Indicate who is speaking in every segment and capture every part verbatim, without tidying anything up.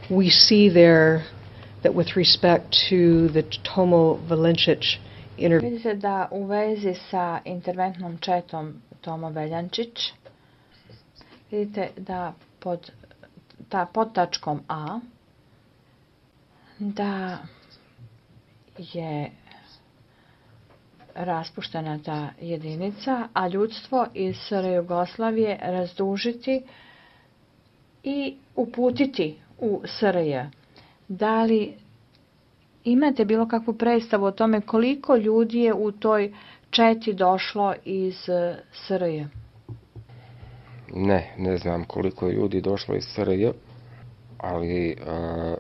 Speaker 1: we see there that with respect to the Tomo Veljančić interview.
Speaker 2: Vidite da u vezi sa interventnom četom Tomo Veljančić, vidite da pod, ta, pod tačkom A, da je raspuštena ta jedinica, a ljudstvo iz S R Jugoslavije razdužiti i uputiti u S R J. Da li imate bilo kakvu predstavu o tome koliko ljudi je u toj četi došlo iz S R J?
Speaker 3: Ne, ne znam koliko je ljudi došlo iz S R J, ali uh,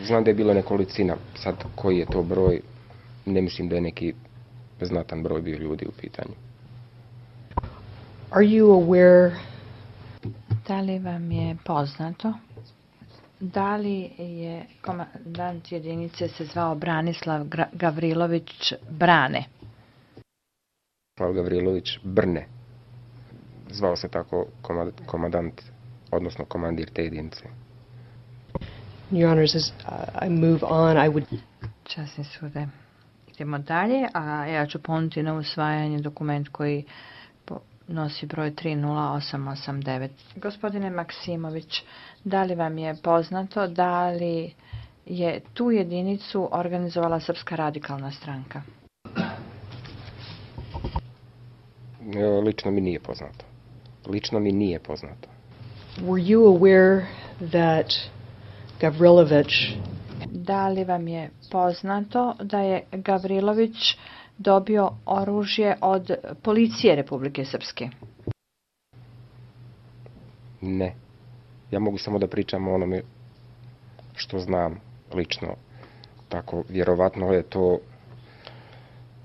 Speaker 3: znam da je bilo nekolicina. Sad koji je to broj, ne mislim da je neki znatan broj bio ljudi u pitanju.
Speaker 1: Are you aware?
Speaker 2: Da li vam je poznato? Da li je komandant jedinice se zvao Branislav Gavrilović Brane?
Speaker 3: Branislav Gavrilović Brne. Zvao se tako komandant, odnosno komandir te jedinice.
Speaker 1: Your Honors, as uh, I move on, I would...
Speaker 2: Časni sude. Idemo dalje, a ja ću ponuditi na usvajanje dokument koji nosi broj tri nula osam osam devet. Gospodine Maksimović, da li vam je poznato da li je tu jedinicu organizovala Srpska radikalna stranka?
Speaker 3: Lično mi nije poznato. Lično mi nije poznato.
Speaker 1: Were you aware that Gavrilović...
Speaker 2: Da li vam je poznato da je Gavrilović dobio oružje od policije Republike Srpske?
Speaker 3: Ne. Ja mogu samo da pričam o onome što znam lično. Tako, vjerovatno je to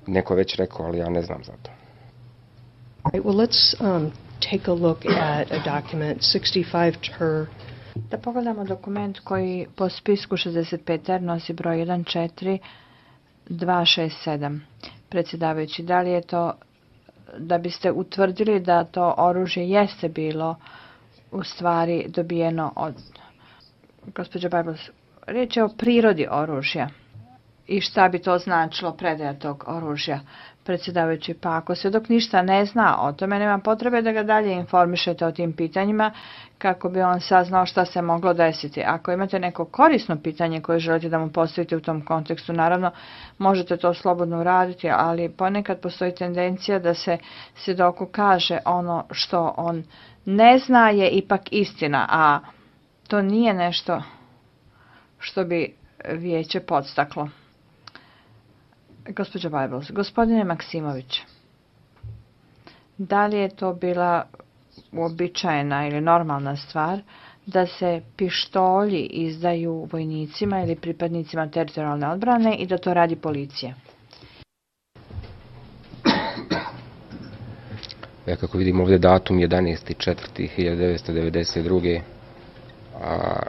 Speaker 3: neko već rekao, ali ja ne znam za to.
Speaker 1: Right, well, let's um, take a look at a document sixty-five ter.
Speaker 2: Da pogledamo dokument koji po spisku šezdeset pet er nosi broj jedan četiri dva šest sedam. Predsjedavajući, da li je to, da biste utvrdili da to oružje jeste bilo u stvari dobijeno od... Gospođo Bajbos, riječ je o prirodi oružja i šta bi to značilo predaja tog oružja. Predsjedavajući, pa ako se dok ništa ne zna o tome, nema potrebe da ga dalje informišete o tim pitanjima kako bi on saznao šta se moglo desiti. Ako imate neko korisno pitanje koje želite da mu postavite u tom kontekstu, naravno možete to slobodno uraditi, ali ponekad postoji tendencija da se svjedoku kaže ono što on ne zna je ipak istina, a to nije nešto što bi vijeće podstaklo. Gospođo Bajbos, gospodine Maksimović, da li je to bila uobičajena ili normalna stvar da se pištolji izdaju vojnicima ili pripadnicima teritorijalne odbrane i da to radi policija?
Speaker 3: Ja kako vidim ovdje datum jedanaesti četvrti hiljadu devetsto devedeset druge. A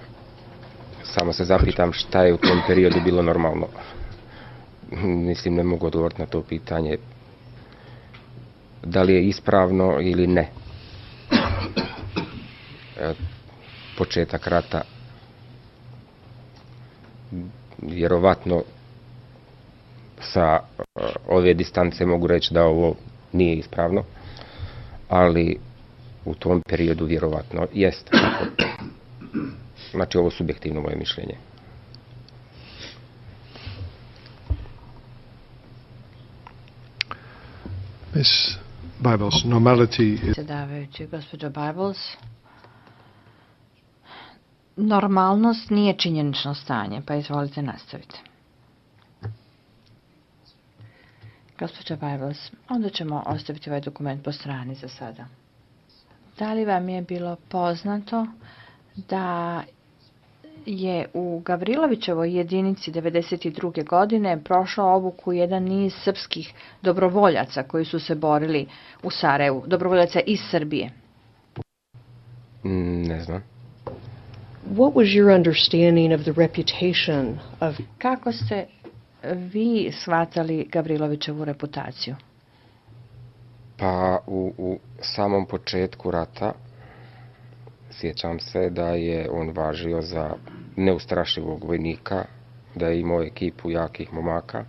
Speaker 3: samo se zapitam šta je u tom periodu bilo normalno. Mislim, ne mogu odgovoriti na to pitanje da li je ispravno ili ne. Početak rata, vjerovatno sa ove distance mogu reći da ovo nije ispravno, ali u tom periodu vjerovatno jest. Znači, ovo je subjektivno moje mišljenje.
Speaker 4: Miss Bajbos, normality is...
Speaker 2: Predsjedavajući, gospođo Bajbos, normalnost nije činjenično stanje, pa izvolite nastaviti. Gospođo Bajbos, onda ćemo ostaviti ovaj dokument po strani za sada. Da li vam je bilo poznato da je u Gavrilovićevoj jedinici devedeset druge. godine prošao obuku jedan niz srpskih dobrovoljaca koji su se borili u Sarajevu, dobrovoljaca iz Srbije?
Speaker 3: Ne znam.
Speaker 1: What was your understanding of the reputation of...
Speaker 2: Kako ste vi shvatali Gavrilovićevu reputaciju?
Speaker 3: Pa u, u samom početku rata sjećam se da je on važio za neustrašivog vojnika, da je imao ekipu jakih momaka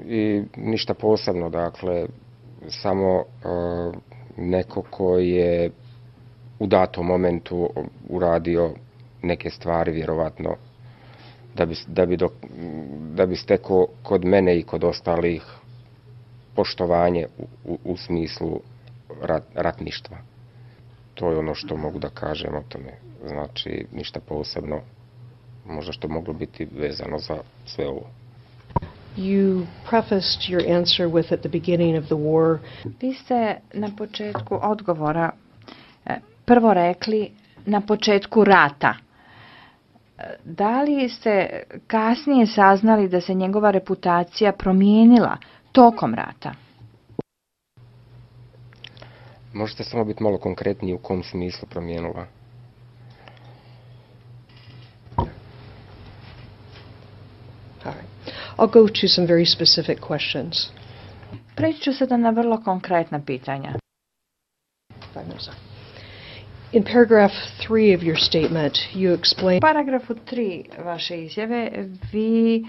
Speaker 3: i ništa posebno, dakle, samo uh, neko ko je u datom momentu uradio neke stvari, vjerovatno, da bi, da bi, do, da bi stekao kod mene i kod ostalih poštovanje u, u, u smislu rat, ratništva. To je ono što mogu da kažem o tome. Znači, ništa posebno, možda što moglo biti vezano za sve ovo.
Speaker 1: You prefaced your answer with at the beginning of the war.
Speaker 2: Vi ste na početku odgovora prvo rekli na početku rata. Da li ste kasnije saznali da se njegova reputacija promijenila tokom rata?
Speaker 3: Možete samo biti malo konkretniji u kom smislu promijenila?
Speaker 1: All right. I'll go to some very specific questions.
Speaker 2: Preći ću sada na vrlo konkretna pitanja.
Speaker 1: Five minutes. In paragraph three of your statement, you explain...
Speaker 2: U paragrafu tri vaše izjave vi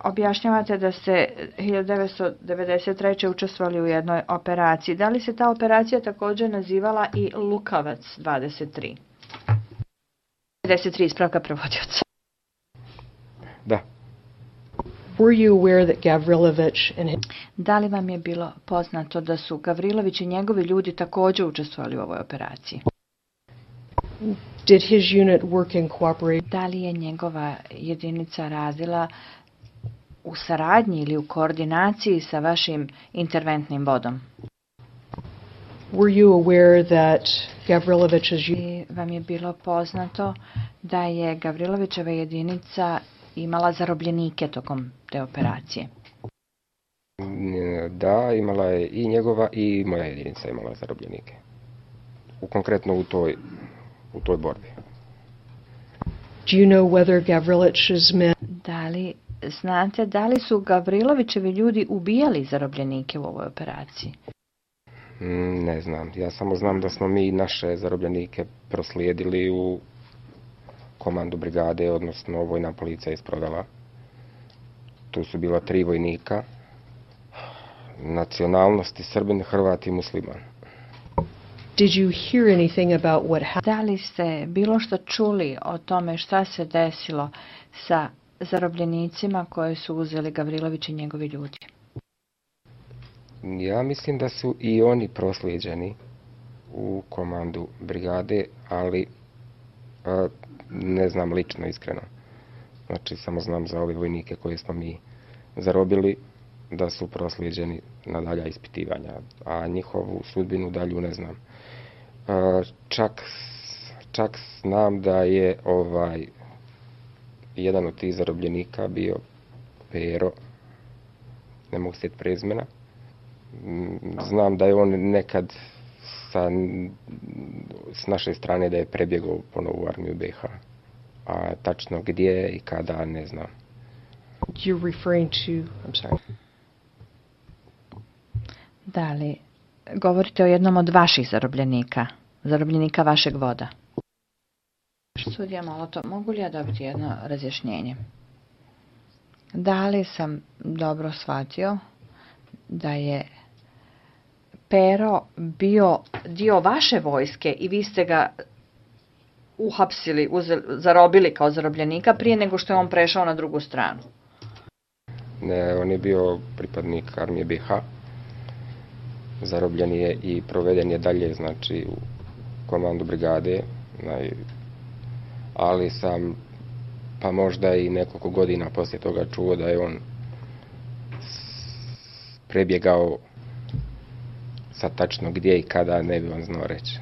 Speaker 2: objašnjavate da ste hiljadu devetsto devedeset treće učestvovali u jednoj operaciji. Da li se ta operacija također nazivala i Lukavac dvadeset tri? dvadeset tri ispravka prevodioca.
Speaker 3: Da.
Speaker 1: Were you aware that Gavrilović and his...
Speaker 2: Da li vam je bilo poznato da su Gavrilović i njegovi ljudi također učestvovali u ovoj operaciji?
Speaker 1: Did his unit work in cooperation?
Speaker 2: Da li je njegova jedinica radila u saradnji ili u koordinaciji sa vašim interventnim vodom?
Speaker 1: Were you aware that Gavrilović's...
Speaker 2: I vam je bilo poznato da je Gavrilovićeva jedinica imala zarobljenike tokom te operacije?
Speaker 3: Da, imala je i njegova i moja jedinica imala zarobljenike. U konkretno u toj, u toj borbi.
Speaker 1: Do you know whether Gavrilović's men...
Speaker 2: Da li znate da li su Gavrilovićevi ljudi ubijali zarobljenike u ovoj operaciji?
Speaker 3: Ne znam. Ja samo znam da smo mi naše zarobljenike proslijedili u komandu brigade, odnosno vojna policija isprovela. Tu su bila tri vojnika, nacionalnosti Srbin, Hrvat i Musliman.
Speaker 1: Did you hear anything about what happened?
Speaker 2: Da li ste bilo što čuli o tome šta se desilo sa zarobljenicima koje su uzeli Gavrilović i njegovi ljudi?
Speaker 3: Ja mislim da su i oni proslijeđeni u komandu brigade, ali a, ne znam lično, iskreno. Znači, samo znam za ove vojnike koje smo mi zarobili, da su proslijeđeni na dalja ispitivanja, a njihovu sudbinu dalju ne znam. A, čak, čak znam da je ovaj jedan od tih zarobljenika bio Pero, ne mogu sjeti prezimena. Znam da je on nekad sa, s naše strane da je prebjegao ponovo u armiju B H. A tačno gdje i kada, ne znam.
Speaker 1: You're referring to... I'm sorry.
Speaker 2: Da li govorite o jednom od vaših zarobljenika, zarobljenika vašeg voda? Sudija Molotov, mogu li ja dobiti jedno razjašnjenje? Da li sam dobro shvatio da je Pero bio dio vaše vojske i vi ste ga uhapsili, uzeli, zarobili kao zarobljenika prije nego što je on prešao na drugu stranu?
Speaker 3: Ne, on je bio pripadnik armije B H. Zarobljen je i proveden je dalje, znači, u komandu brigade. Ali sam, pa možda i nekoliko godina poslije toga čuo da je on prebjegao, sad tačno gdje i kada ne bi on znao reći.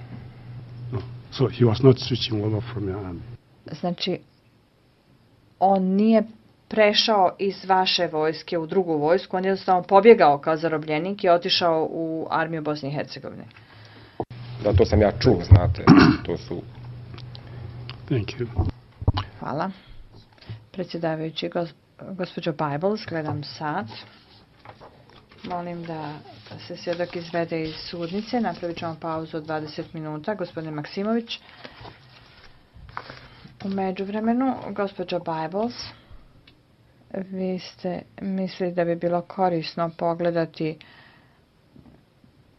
Speaker 4: No. So he was not switching over from your army.
Speaker 2: Znači, on nije prešao iz vaše vojske u drugu vojsku, on je jednostavno pobjegao kao zarobljenik i otišao u armiju Bosne i Hercegovine.
Speaker 3: Da, to sam ja čuo, znate, to su...
Speaker 4: Thank you.
Speaker 2: Hvala. Predsjedavajući, gos, gospođo Bibles, gledam sat. Molim da se svjedok izvede iz sudnice. Napravit ćemo pauzu od dvadeset minuta. Gospodin Maksimović. U međuvremenu, gospođo Bibles, vi ste mislili da bi bilo korisno pogledati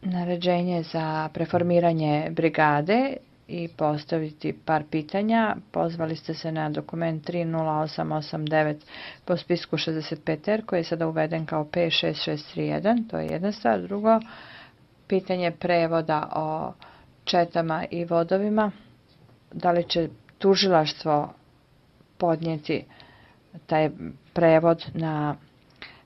Speaker 2: naređenje za preformiranje brigade i postaviti par pitanja. Pozvali ste se na dokument tri nula osam osam devet po spisku šezdeset pet R koji je sada uveden kao P šest šest tri jedan. To je jedna stvar. Drugo, pitanje prevoda o četama i vodovima. Da li će tužilaštvo podnijeti taj prevod na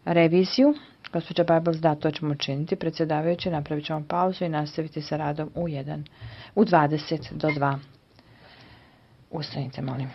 Speaker 2: reviziju? Gospođa Bibles, da, to ćemo učiniti. Predsjedavajući, napravit ćemo pauzu i nastaviti sa radom u jedan, u dvadeset do dva. Ustanite, molim.